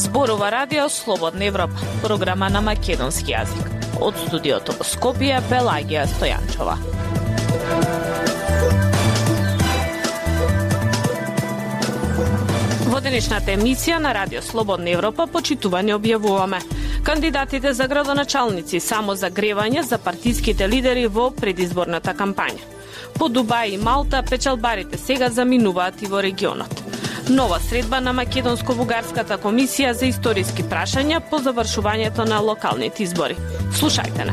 Зборува Радио Слободна Европа, програма на македонски јазик. Од студиото во Скопје, Пелагија Стојанчова. Во денешната емисија на Радио Слободна Европа почитување објавуваме кандидатите за градоначалници само за гревање за партиските лидери во предизборната кампања. По Дубај и Малта печалбарите сега заминуваат и во регионот. Нова средба на Македонско-бугарската комисија за историски прашања по завршувањето на локалните избори. Слушајте не.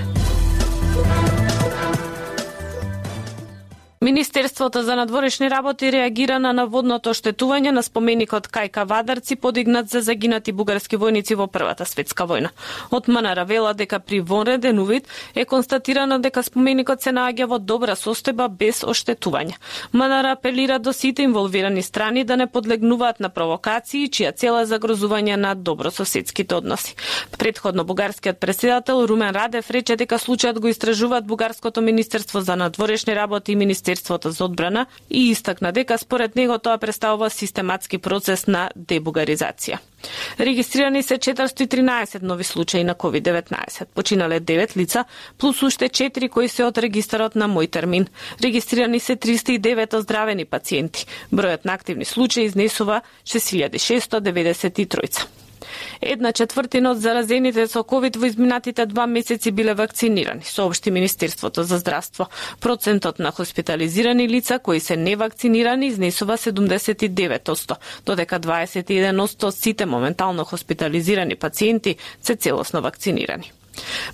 Министерството за надворешни работи реагира на наводното оштетување на споменикот кај Кавадарци подигнат за загинати бугарски војници во Првата светска војна. Од МНР вела дека при вонреден увид е констатирано дека споменикот се наоѓа во добра состојба без оштетување. МНР апелира до сите инволвирани страни да не подлегнуваат на провокации чија цел е загрозување на добрососедските односи. Претходно бугарскиот претседател Румен Радев рече дека случајот го истражуваат бугарското Министерство за надворешни работи и Министерството за одбрана и истакна дека според него тоа представува систематски процес на дебугаризација. Регистрирани се 413 нови случаи на COVID-19. Починале 9 лица, плюс уште 4 кои се од регистарот на Мој термин. Регистрирани се 309 оздравени пациенти. Бројот на активни случаи изнесува 6693. 1/4 од заразените со COVID во изминатите 2 месеци биле вакцинирани, соопшти Министерството за здравство. Процентот на хоспитализирани лица кои се невакцинирани изнесува 79%, додека 21% од сите моментално хоспитализирани пациенти се целосно вакцинирани.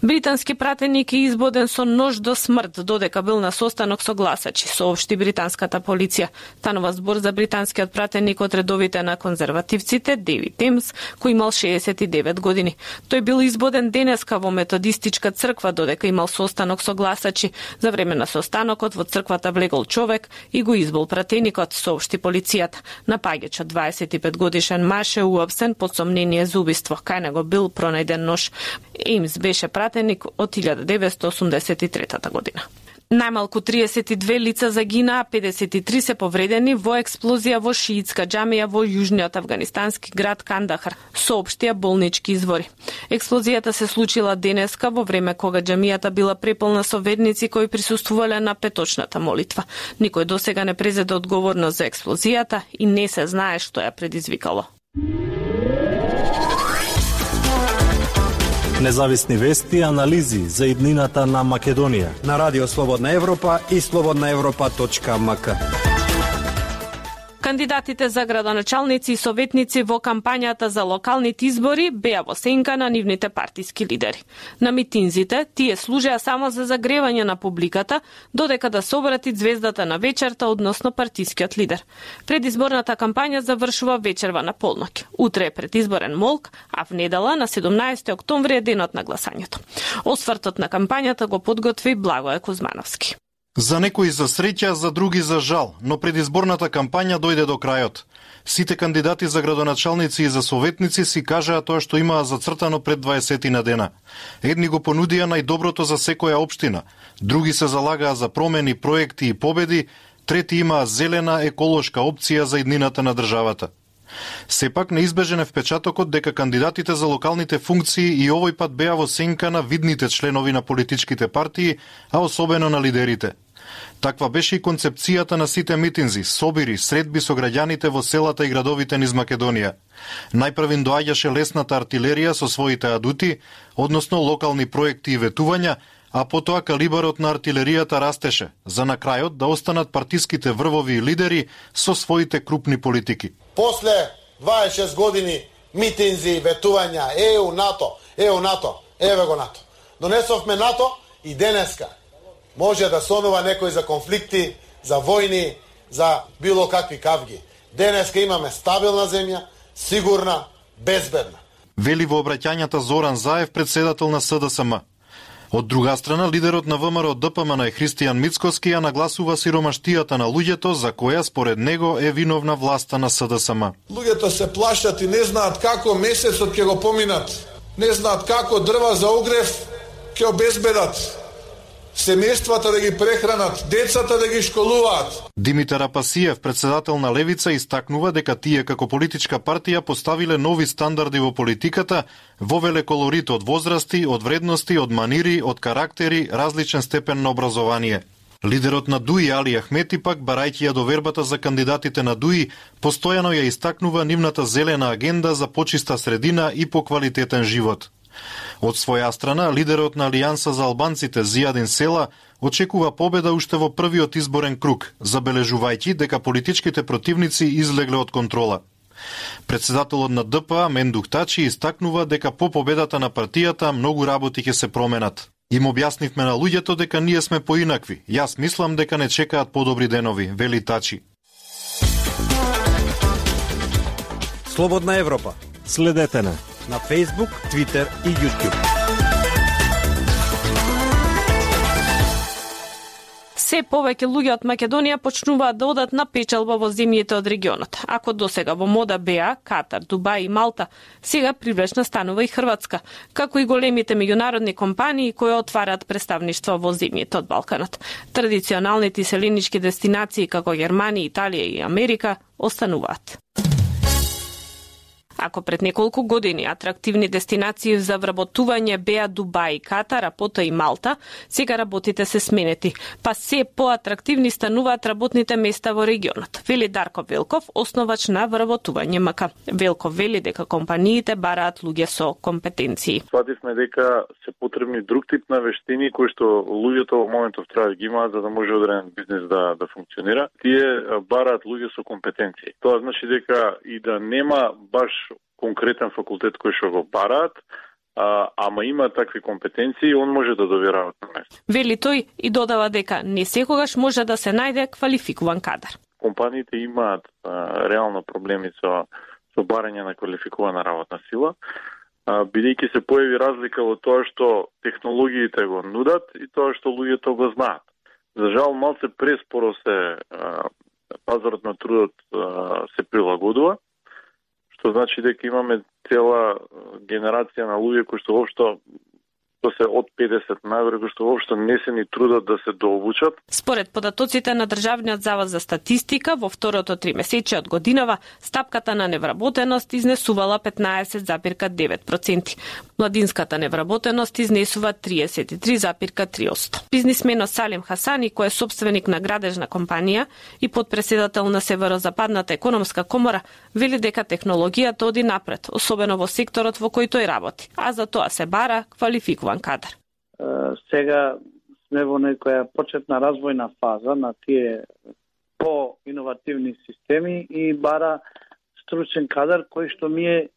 Британски пратеник е избоден со нож до смрт додека бил на состанок со гласачи, соопшти британската полиција. Станува збор за британскиот пратеник од редовите на конзервативците Дейвид Темс, кој имал 69 години. Тој бил избоден денеска во методистичка црква додека имал состанок со гласачи. За време на состанокот во црквата влегол човек и го избол пратеникот, соопшти полицијата. Напаѓачот 25 годишен маж е уапсен под сомнение за убиство. Кај него бил пронајден нож. Емс беше пратеник од 1983 година. Најмалку 32 лица загинаа, 53 се повредени во експлозија во шиитска џамија во јужниот афганистански град Кандахар, соопштија болнички извори. Експлозијата се случила денеска во време кога џамијата била преполна со верници кои присуствувале на петочната молитва. Никој досега не презеде одговорност за експлозијата и не се знае што ја предизвикало. Независни вести и анализи за иднината на Македонија на Радио Слободна Европа и slobodnaevropa.mk. Кандидатите за градоначалници и советници во кампањата за локалните избори беа во сенка на нивните партиски лидери. На митинзите тие служеа само за загревање на публиката, додека да се обрати звездата на вечерта, односно партискиот лидер. Предизборната кампања завршува вечерва на полноќ. Утре е предизборен молк, а в недела на 17 октомври е денот на гласањето. Освртот на кампањата го подготви Благоје Кузмановски. За некои за среќа, за други за жал, но предизборната кампања дојде до крајот. Сите кандидати за градоначалници и за советници си кажаа тоа што имаа зацртано пред 20 на дена. Едни го понудија најдоброто за секоја општина, други се залагаа за промени, проекти и победи, трети имаа зелена еколошка опција за иднината на државата. Сепак неизбежен е впечатокот дека кандидатите за локалните функции и овој пат беа во сенка на видните членови на политичките партии, а особено на лидерите. Таква беше и концепцијата на сите митинзи, собири, средби со граѓаните во селата и градовите низ Македонија. Најпрв им доаѓаше лесната артилерија со своите адути, односно локални проекти и ветувања, а потоа калибарот на артилеријата растеше, за на крајот да останат партиските врвови и лидери со своите крупни политики. После 26 години митинзи, ветувања, ЕУ, НАТО, еве го НАТО. Донесовме НАТО и денеска може да сонува некој за конфликти, за војни, за било какви кавги. Денеска имаме стабилна земја, сигурна, безбедна. Вели во обраќањата Зоран Заев, председател на СДСМ. Од друга страна, лидерот на ВМРО ДПМН е Христијан Мицкоски ја нагласува сиромаштијата на луѓето, за која според него е виновна власта на СДСМ. Луѓето се плашат и не знаат како месецот ќе го поминат. Не знаат како дрва за огрев ќе обезбедат. семејствата да ги прехранат, децата да ги школуваат. Димитар Апасиев, председател на Левица, истакнува дека тие како политичка партија поставиле нови стандарди во политиката, вовеле колорит од возрасти, од вредности, од манири, од карактери, различен степен на образование. Лидерот на ДУИ Али Ахмети пак, барајќи ја довербата за кандидатите на ДУИ, постојано ја истакнува нивната зелена агенда за почиста средина и поквалитетен живот. Од своја страна, лидерот на Алијанса за албанците Зијадин Села очекува победа уште во првиот изборен круг, забележувајќи дека политичките противници излегле од контрола. Председателот на ДПА Мендух Тачи истакнува дека по победата на партијата многу работи ќе се променат. Им објаснивме на луѓето дека ние сме поинакви. Јас мислам дека не чекаат подобри денови, вели Тачи. Слободна Европа. Следете на Facebook, Twitter и YouTube. Се повеќе луѓе од Македонија почнуваат да одат на печалба во земјите од регионот. Ако досега во мода беа Катар, Дубај и Малта, сега привлечна станува и Хрватска, како и големите меѓународни компании кои отвараат представништва во земјите од Балканот. Традиционалните селенички дестинации како Германија, Италија и Америка остануваат. Ако пред неколку години атрактивни дестинации за вработување беа Дубај и Катар, а потоа и Малта, сега работите се сменети, па се поатрактивни стануваат работните места во регионот, вели Дарко Велков, основач на вработување МК. Велков вели дека компаниите бараат луѓе со компетенции. Свативме дека се потребни друг тип на вештини кои што луѓето во моментов треба да ги имаат за да може одреден бизнес да функционира. Тие бараат луѓе со компетенции. Тоа значи дека и да нема баш конкретен факултет кој што го бараат, ама има такви компетенции, он може да доверава на место. Вели тој и додава дека не секогаш може да се најде квалификуван кадар. Компаниите имаат реално проблеми со барање на квалификувана работна сила, бидејќи се појави разлика во тоа што технологиите го нудат и тоа што луѓето го знаат. За жал, малце преспоро пазарот на трудот се прилагодува, што значи дека имаме цела генерација на луѓе кои што воопшто се од 50 нагоре, кои што воопшто не се ни трудат да се дообучат. Според податоците на Државниот завод за статистика, во второто тримесечие од годинава, стапката на невработеност изнесувала 15,9%. Младинската невработеност изнесува 33,3%. Бизнисменот Салим Хасани, кој е собственик на градежна компанија и подпредседател на Северозападната економска комора, вели дека технологијата оди напред, особено во секторот во кој тој работи, а за тоа се бара квалификуван кадар. Сега сме во некоја почетна развојна фаза на тие по-иновативни системи и бара стручен кадар кој што ми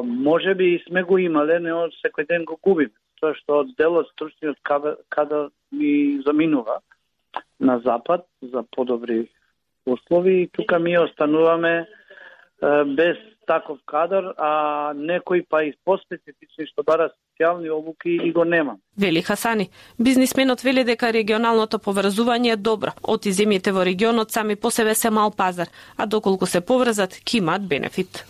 може би сме го имале, но секој ден го губиме. Тоа што од делот стручниот кадар ми заминува на запад за подобри услови и тука ми остануваме без таков кадар, а некои па и поспецифични што бара специјални обуки и го нема. Вели Хасани, бизнисменот вели дека регионалното поврзување е добро. Оти земјите во регионот сами по себе се мал пазар, а доколку се поврзат, ќе имаат бенефит.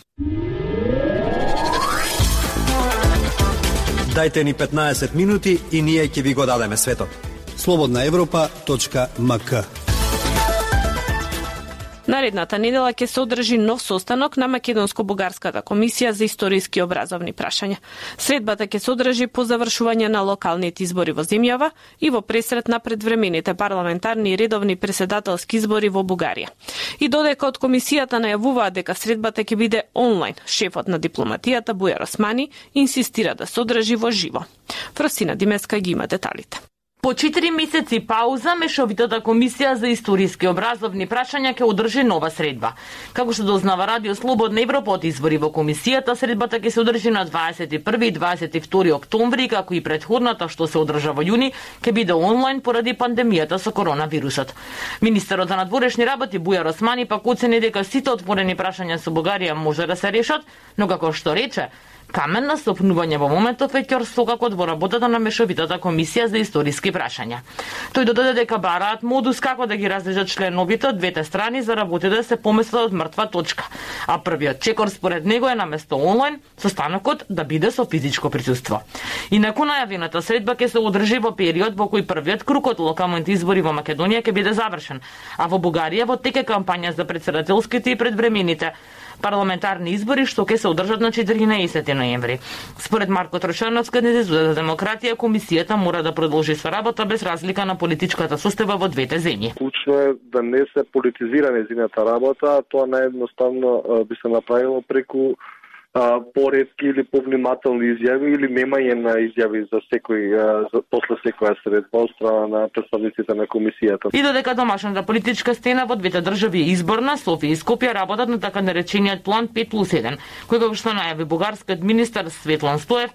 Дајте ни 15 минути и ние ќе ви го дадеме светот. slobodnaevropa.mk. Наредната недела ќе се одржи нов состанок на Македонско-бугарската комисија за историски образовни прашања. Средбата ќе се одржи по завршување на локалните избори во земјава и во пресрет на предвремените парламентарни и редовни преседателски избори во Бугарија. И додека од комисијата најавуваат дека средбата ќе биде онлайн, шефот на дипломатијата Бујар Османи инсистира да се одржи во живо. Фросина Димеска ги има деталите. По 4 месеци пауза, Мешовитата комисија за историски образовни прашања ќе одржи нова средба. Како што дознава Радио Слободна Европа од избори во комисијата, средбата ќе се одржи на 21 и 22 октомври, како и претходната што се одржа во јуни, ќе биде онлайн поради пандемијата со коронавирусот. Министерот за надворешни работи Бујар Османи пак оцени дека сите отворени прашања со Бугарија може да се решат, но како што рече, Камен на стопнување во моментов е Ќор Сокакот во работата на Мешовитата комисија за историски прашања. Тој додаде дека бараат модус како да ги разлежат членовите од двете страни за работите да се поместат од мртва точка, а првиот чекор според него е наместо онлайн состанокот да биде со физичко присуство. Инаку најавената средба ќе се одржи во период во кој првиот круг од локалните избори во Македонија ќе биде завршен, а во Бугарија во тек е кампања за претседателските и предвремените парламентарни избори што ќе се одржат на 14 ноември. Според Марко Трошановски, кандидат за демократија, комисијата мора да продолжи со работа без разлика на политичката состојба во двете земји. Клучно е да не се политизира нејзината работа, тоа наједноставно би се направило преку поретки или повнимателни изјави или немање на изјави за секој после секоја средба од страна на представниците на комисијата. И додека домашната политичка стена во двете држави е изборна, Софија и Скопје работат на така наречениот план 5+1, кој како што најави бугарскиот министар Светлан Стоев,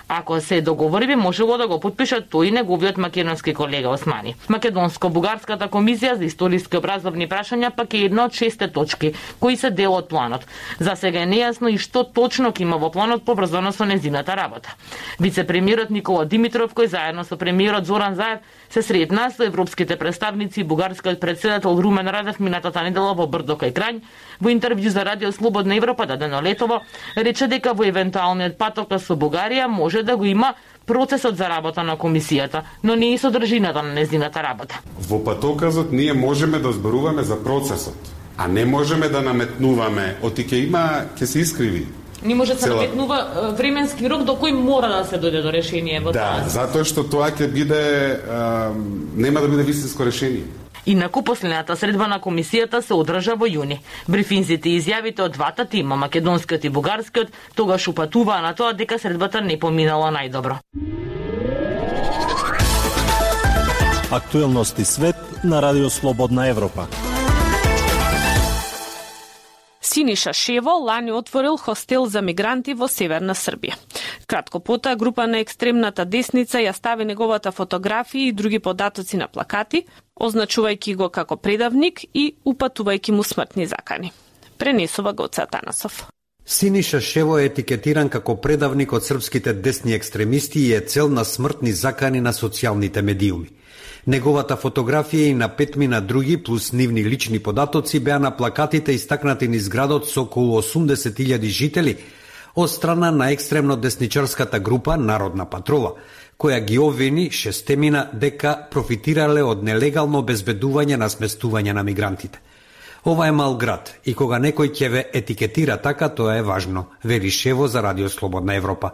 ако се договори би можело да го подпишат тој и неговиот македонски колега Османи. Македонско-бугарската комисија за историски образовни прашања пак е една од 6 точки кои се дел од планот. За сега е нејасно и што точно ќе има во планот поврзано со незината работа. Вице-премиерот Никола Димитров, кој заедно со премиерот Зоран Заев се сретна со европските представници и бугарскиот претседател Румен Радев минатата недела во Брдо кај Крањ, во интервју за Радио Слободна Европа дадено летово, рече дека во евентуалниот патокас со Бугарија може да го има процесот за работа на комисијата, но не и содржината на незината работа. Во патоказот ние можеме да зборуваме за процесот, а не можеме да наметнуваме, оти ќе се искриви. Не може да се наметнува временски рок до кој мора да се дојде до решение во тоа. Да, затоа што тоа ќе биде нема да биде вистинско решение. Инаку последната средба на комисијата се одржа во јуни. Брифинзите и изјавите од двата тима, македонскиот и бугарскиот, тогаш упатуваа на тоа дека средбата не поминала најдобро. Актуелности свет на Радио Слободна Европа. Синиша Шево лани отворил хостел за мигранти во северна Србија. Кратко потоа група на екстремната десница ја стави неговата фотографија и други податоци на плакати, означувајќи го како предавник и упатувајќи му смртни закани. Пренесува Гоце Атанасов. Синиша Шево е етикетиран како предавник од српските десни екстремисти и е цел на смртни закани на социјалните медиуми. Неговата фотографија и на 5 мина други плюс нивни лични податоци беа на плакатите истакнати низ градот со околу 80.000 жители од страна на екстремно десничарската група Народна патрола, која ги обвини 6 мина дека профитирале од нелегално обезбедување на сместување на мигрантите. Ова е мал град и кога некој ќе ве етикетира така, тоа е важно, вели Шево за Радио Слободна Европа.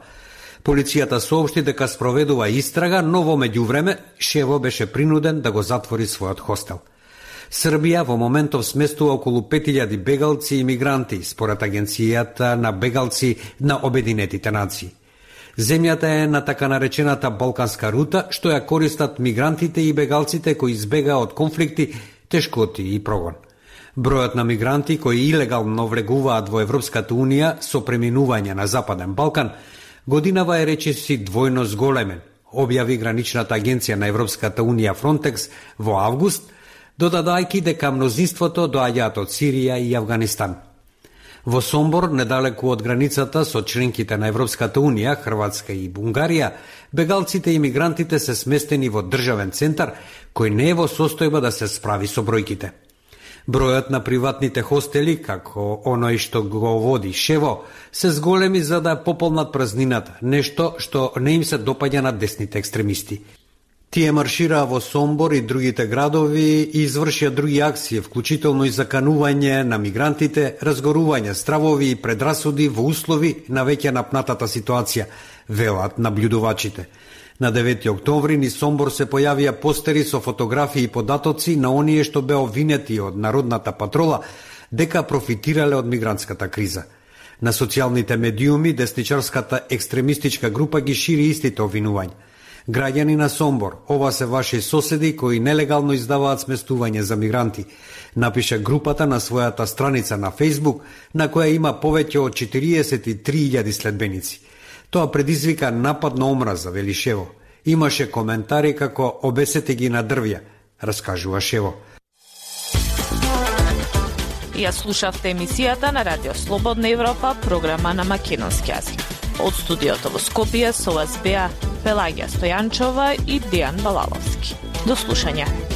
Полицијата соопшти дека спроведува истрага, но во меѓувреме Шево беше принуден да го затвори својот хостел. Србија во моментов сместува околу 5000 бегалци и мигранти, според Агенцијата на бегалци на Обединетите нации. Земјата е на така наречената Балканска рута, што ја користат мигрантите и бегалците кои избегаа од конфликти, тешкоти и прогон. Бројот на мигранти кои илегално влегуваат во Европската Унија со преминување на Западен Балкан годинава е речиси двојно зголемен, објави граничната агенција на Европската Унија Фронтекс во август, додадајќи дека мнозинството доаѓаат од Сирија и Авганистан. Во Сомбор, недалеку од границата со членките на Европската Унија, Хрватска и Бунгарија, бегалците и мигрантите се сместени во државен центар кој не е во состојба да се справи со бројките. Бројот на приватните хостели, како оној што го води Шево, се зголеми за да пополнат празнината, нешто што не им се допаѓа на десните екстремисти. Тие маршираа во Сомбор и другите градови и извршија други акции, вклучително и заканување на мигрантите, разгорување стравови и предрасуди во услови на веќе напнатата ситуација, велат наблюдувачите. На 9 октомври низ Сомбор се појавија постери со фотографии и податоци на оние што беа обвинети од Народната патрола дека профитирале од мигрантската криза. На социјалните медиуми десничарската екстремистичка група ги шири истите обвинувања. Граѓани на Сомбор, ова се ваши соседи кои нелегално издаваат сместување за мигранти, напиша групата на својата страница на Фејсбук, на која има повеќе од 43.000 следбеници. Тоа предизвика напад на омраза, вели Шево. Имаше коментари како обесете ги на дрвја, раскажува Шево. Ја слушавте емисијата на Радио Слободна Европа, програма на македонски јазик. Од студиото во Скопје со вас беа Пелагија Стојанчова и Дејан Балаловски. До слушање.